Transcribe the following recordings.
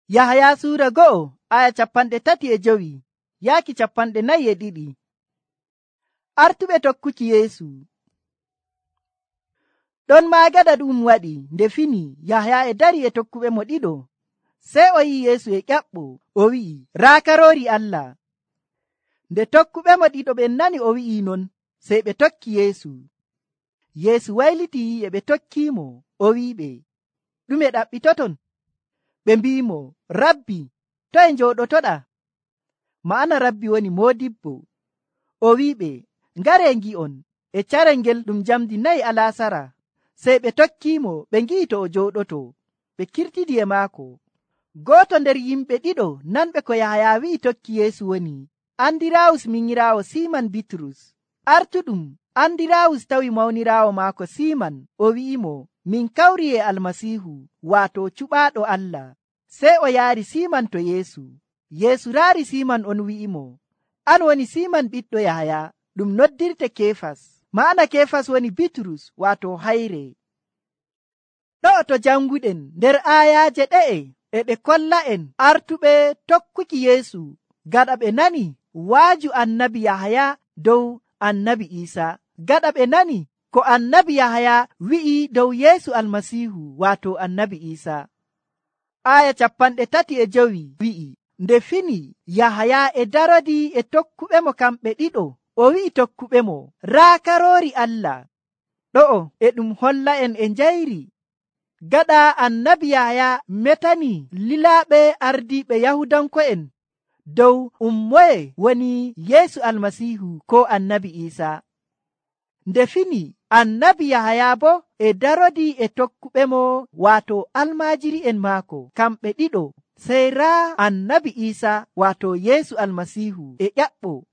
Yahaya suura 2 aya 35 yaaki 42. Artuɓe tokkuki Yeesu. Ɗon maa gaɗa ɗum waɗi nde fini Yahaya e dari e tokkuɓe mo ɗiɗo. Sey o yi'i Yeesu e ƴaɓɓo, o wi'i, raa Karoori Allah. Nde tokkuɓe mo ɗiɗo ɓen nani o wi'i non, sey ɓe tokki Yeesu. Yeesu wayliti e ɓe tokkiimo, o wi'iɓe, ɗume ɗaɓɓitoton? Ɓe mbi'imo, Rabbi, toye njooɗotoɗa? Ma'ana Rabbi woni Moodibbo. O wi'iɓe, ngaree ngi'on e carel ngel ɗum jamdi 4 alasara. Sey ɓe tokkiimo ɓe ngi'i to o jooɗoto, ɓe kirtidi e maako. Gooto nder yimɓe ɗiɗo nanɓe ko Yahaya wi'i tokki Yeesu woni Andiraawus minyiraawo Siiman Bitrus. Artuɗum Andiraawus tawi mawniraawo maako Siiman, o wi'imo, min kawri e Almasiihu, waato cuɓaaɗo Allah. Sey o yaari Siiman to Yeesu. Yeesu raari Siiman on wi'imo, an woni Siiman ɓiɗɗo Yahaya, ɗum noddirte Keefas. Ma'ana Keefas woni Bitrus, waato hayre. Ɗo'o to janguɗen nder aayaaje ɗe'e e ɓe kolla'en artuɓe tokkuki Yeesu gaɗa ɓe nani waaju annabi Yahaya dow annabi Iisa. Gaɗa ɓe nani ko annabi Yahaya wi'i dow Yeesu Almasiihu, waato annabi Iisa. Aya 35 wi'i, nde fini Yahaya e darodi e tokkuɓe mo kamɓe ɗiɗo, o wi'i tokkuɓe mo, raa Karoori Allah. Ɗo'o e ɗum holla en e njayri. Gaɗa annabi Yahaya metani lilaaɓe ardiiɓe Yahudanko'en dow moye woni Yeesu Almasiihu ko annabi Iisa. Nde fini annabi Yahaya bo e darodi e tokkuɓe mo waato almaajiri'en maako kamɓe ɗiɗo. Sey raa annabi Iisa waato Yeesu Almasiihu e ƴaɓɓo.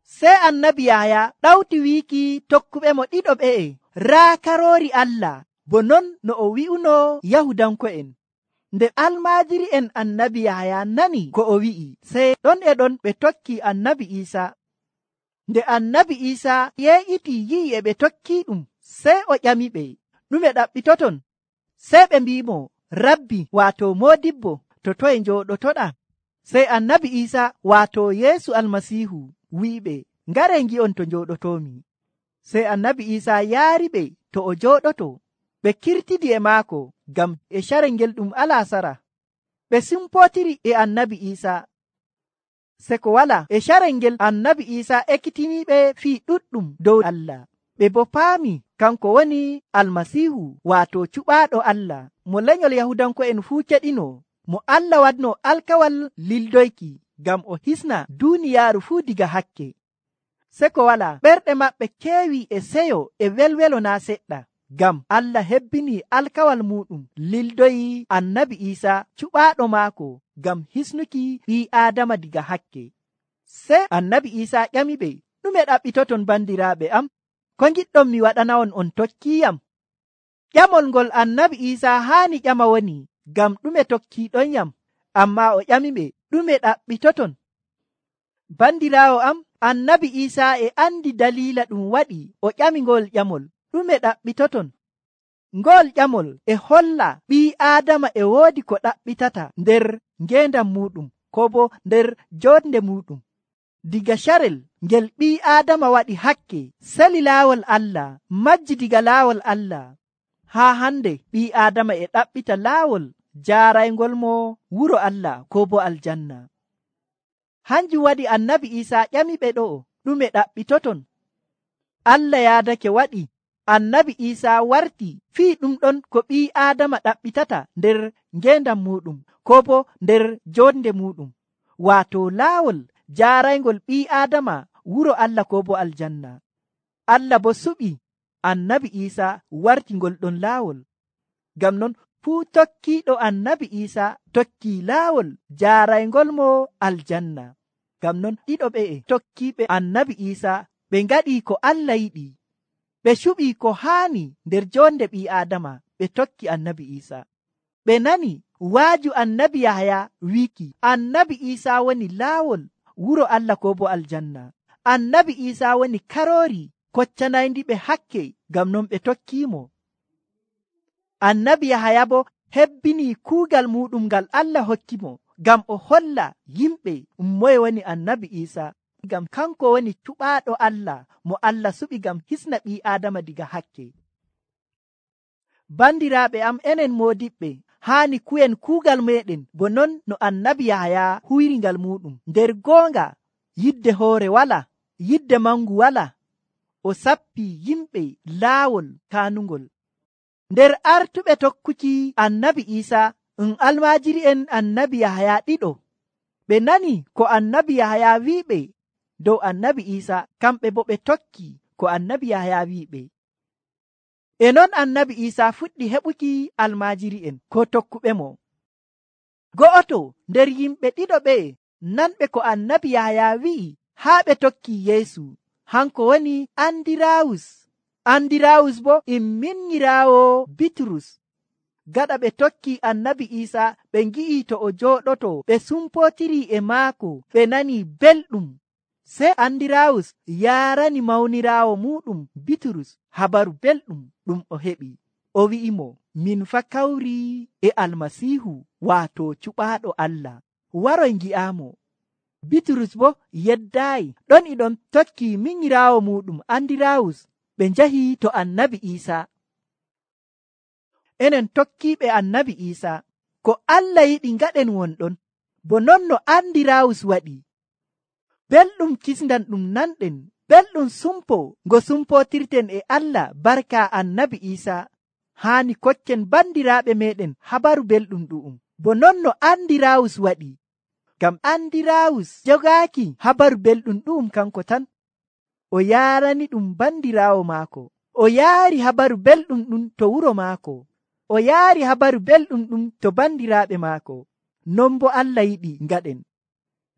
Sey annabi Yahaya ɗawti wiiki tokkuɓe mo ɗiɗo ɓe'e, raa Karoori Allah, bo non no o wi'uno Yahudanko'en. Nde almaajiri'en annabi Yahaya nani ko o wi'i, sey ɗon e ɗon ɓe tokki annabi Iisa. Nde annabi Iisa yeeƴiti yi'i e ɓe tokki ɗum, sey o ƴamiɓe, ɗume ɗaɓɓitoton? Sey ɓe mbi'imo, Rabbi, waato Moodibbo, to toye njooɗotoɗa? Sey annabi Iisa waato Yeesu Almasiihu wi'iɓe, ngaree ngi'on to njooɗotoomi. Sey annabi Iisa yaariɓe to o jooɗoto. Ɓe kirtidi e maako ngam e carel ngel ɗum alasara. Ɓe simpootiri e annabi Iisa. Se ko wala e carel ngel annabi Iisa ekkitiniiɓe fii ɗuɗɗum dow Allah. Ɓe bo paami kanko woni Almasiihu, waato cuɓaaɗo Allah, mo lenyol Yahudanko'en fuu keɗino, mo Allah waɗno alkawal lildoyki ngam o hisna duuniyaaru fuu diga hakke. Se ko wala ɓerɗe maɓɓe keewi e seyo e welwelo naa seɗɗa, ngam Allah hebbini alkawal muɗum lildoyi annabi Iisa cuɓaaɗo maako ngam hisnuki ɓii Aadama diga hakke. Sey annabi Iisa ƴamiɓe, ɗume ɗaɓɓitoton bandiraaɓe am? Ko ngiɗɗon mi waɗana'on on tokkiyam? Ƴamol ngol annabi Iisa haani ƴama woni, ngam ɗume tokkiiɗonyam? Ammaa o ƴamiɓe, ɗume ɗaɓɓitoton? Bandiraawo am, annabi Iisa e andi daliila ɗum waɗi o ƴami ngol ƴamol, ɗume ɗaɓɓitoton? Ngol ƴamol e holla ɓii Aadama e woodi ko ɗaɓɓitata nder ngeendam muɗum, ko bo nder jonde muɗum. Diga carel ngel ɓii Aadama waɗi hakke, sali laawol Allah, majji diga laawol Allah. Haa hande ɓii Aadama e ɗaɓɓita laawol jaaraygol mo wuro Allah ko bo aljanna. Hanjum waɗi annabi Iisa ƴamiɓe ɗo'o, ɗume ɗaɓɓitoton? Allah yaadake waɗi annabi Iisa warti fii ɗum ɗon ko ɓii Aadama ɗaɓɓitata nder ngeendam muɗum ko bo nder jonde muɗum, waato laawol jaaraygol ɓii Aadama wuro Allah ko bo aljanna. Allah bo suɓi annabi Iisa warti ngol ɗon laawol. Ngam non fuu tokkiiɗo annabi Iisa tokkii laawol jaaraygol mo aljanna. Ngam non ɗiɗo ɓe'e tokkiiɓe annabi Iisa ɓe ngaɗii ko Allah yiɗi. Ɓe cuɓii ko haani nder jonde ɓii Aadama, ɓe tokki annabi Iisa. Ɓe nani waaju annabi Yahaya wiiki annabi Iisa woni laawol wuro Allah ko bo aljanna. Annabi Iisa woni Karoori koccanayndi ɓe hakke, ngam non ɓe tokkiimo. Annabi Yahaya bo hebbini kuugal muɗum ngal Allah hokkimo ngam o holla yimɓe moye woni annabi Isa, ngam kanko woni cuɓaaɗo Allah mo Allah suɓi ngam hisna ɓii Aadama diga hakke. Bandiraaɓe am, enen moodiɓɓe haani ku'en kuugal meɗen bo non no annabi Yahaya huwiri ngal muɗum. Nder goonga yidde hoore wala, yidde mangu wala. O sappi yimɓe laawol kaanungol. Nder artuɓe tokkuki annabi Isa almaajiri'en annabi Yahaya ɗiɗo. Ɓe nani ko annabi Yahaya wi'iɓe dow annabi Isa, kamɓe bo ɓe tokki ko annabi Yahaya wi'iɓe. E non annabi Isa fuɗɗi heɓuki almaajiri'en ko tokkuɓe mo. Go'oto nder yimɓe ɗiɗo ɓe nanɓe ko annabi Yahaya wi'i haa ɓe tokki Yeesu, hanko woni Andirawus. Andirawus bo minyiraawo Bitrus. Gaɗa ɓe tokki annabi Isa, ɓe ngi'i to o jooɗoto, ɓe sumpotiri e maako, ɓe nani belɗum. Sey Andirawus yaarani mawniraawo muɗum Bitrus habaru belɗum ɗum o heɓi. O wi'imo, min fa kawri e Almasiihu, waato cuɓaaɗo Allah. Waroy ngi'aamo. Bitrus bo yeddaayi. Ɗon e ɗon tokki minyiraawo muɗum Andirawus. Ɓe njahi to annabi Isa. Enen tokkiiɓe annabi Isa, ko Allah yiɗi ngaɗen wonɗon, bo non no Andirawus waɗi. Belɗum kisndan ɗum nanɗen, belɗum sumpo ngo sumpotirten e Allah barka annabi Isa. Haani kokken bandiraaɓe meɗen habaru belɗum ɗu'um, bo non no Andirawus waɗi. Ngam Andirawus jogaaki habaru belɗum ɗu'um kanko tan. O yaarani ɗum bandiraawo maako. O yaari habaru belɗum ɗum to wuro maako. O yaari habaru belɗum ɗum to bandiraaɓe maako. Non bo Allah yiɗi ngaɗen.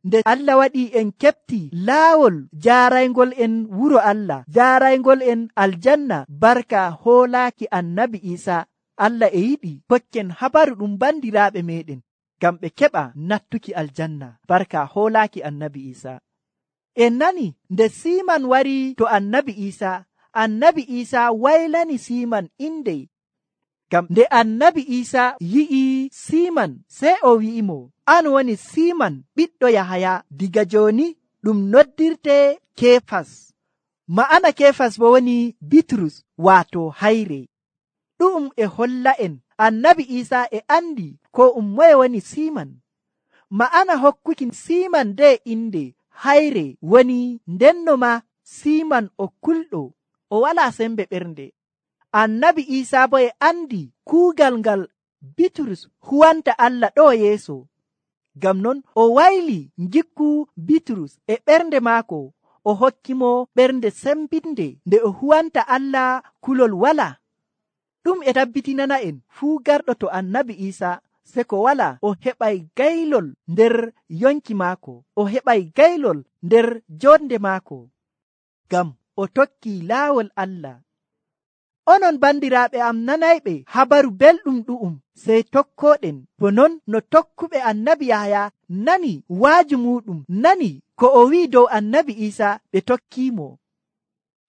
Nde Allah waɗi en keɓti laawol jaaraygol en wuro Allah, jaaraygol en aljanna barka hoolaaki annabi Isa. Allah e yiɗi kokken habaru ɗum bandiraaɓe meɗen ngam ɓe keɓa nattuki aljanna barka hoolaaki annabi Isa. En nani nde Siman wari to annabi Isa waylani Siman inde. Ngam nde annabi Isa yi'i Siman, sey o wi'imo, an woni Siman ɓiɗɗo Yahaya, diga joni ɗum noddirte Kefas. Ma'ana Kefas bo woni Bitrus, waato hayre. Ɗum e holla en annabi Isa e andi ko moye woni Siman. Ma'ana hokkuki Siman de inde hayre woni ndenno ma Siman o kulɗo, o wala sembe ɓernde. Annabi Isa bo e andi kuugal ngal Bitrus huwanta Allah ɗo yeeso. Ngam non o wayli ngikku Bitrus e ɓernde maako, o hokkimo ɓernde sembinde nde o huwanta Allah kulol wala. Ɗum e tabbitinana en fuu garɗo to annabi Isa se ko wala o heɓay gaylol nder yonki maako, o heɓay gaylol nder jonde maako, ngam o tokki laawol Allah. Onon bandiraaɓe am nanayɓe habaru belɗum ɗu'um, sey tokkoɗen bo non no tokkuɓe annabi Yahaya nani waaju muɗum, nani ko o wi'i dow annabi Isa, ɓe tokkimo.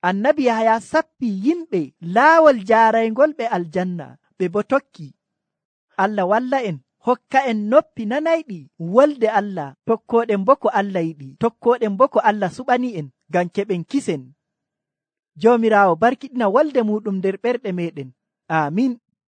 Annabi Yahaya sappi yimɓe laawol jaaraygol ɓe aljanna, ɓe bo tokki. Allah walla en, hokka en noppi nanayɗi wolde Allah, tokkoɗen bo ko Allah yiɗi, tokkoɗen bo ko Allah suɓani en ngam keɓen kisen. Joomiraawo barkiɗina wolde muɗum nder ɓerɗe meɗen. Amin.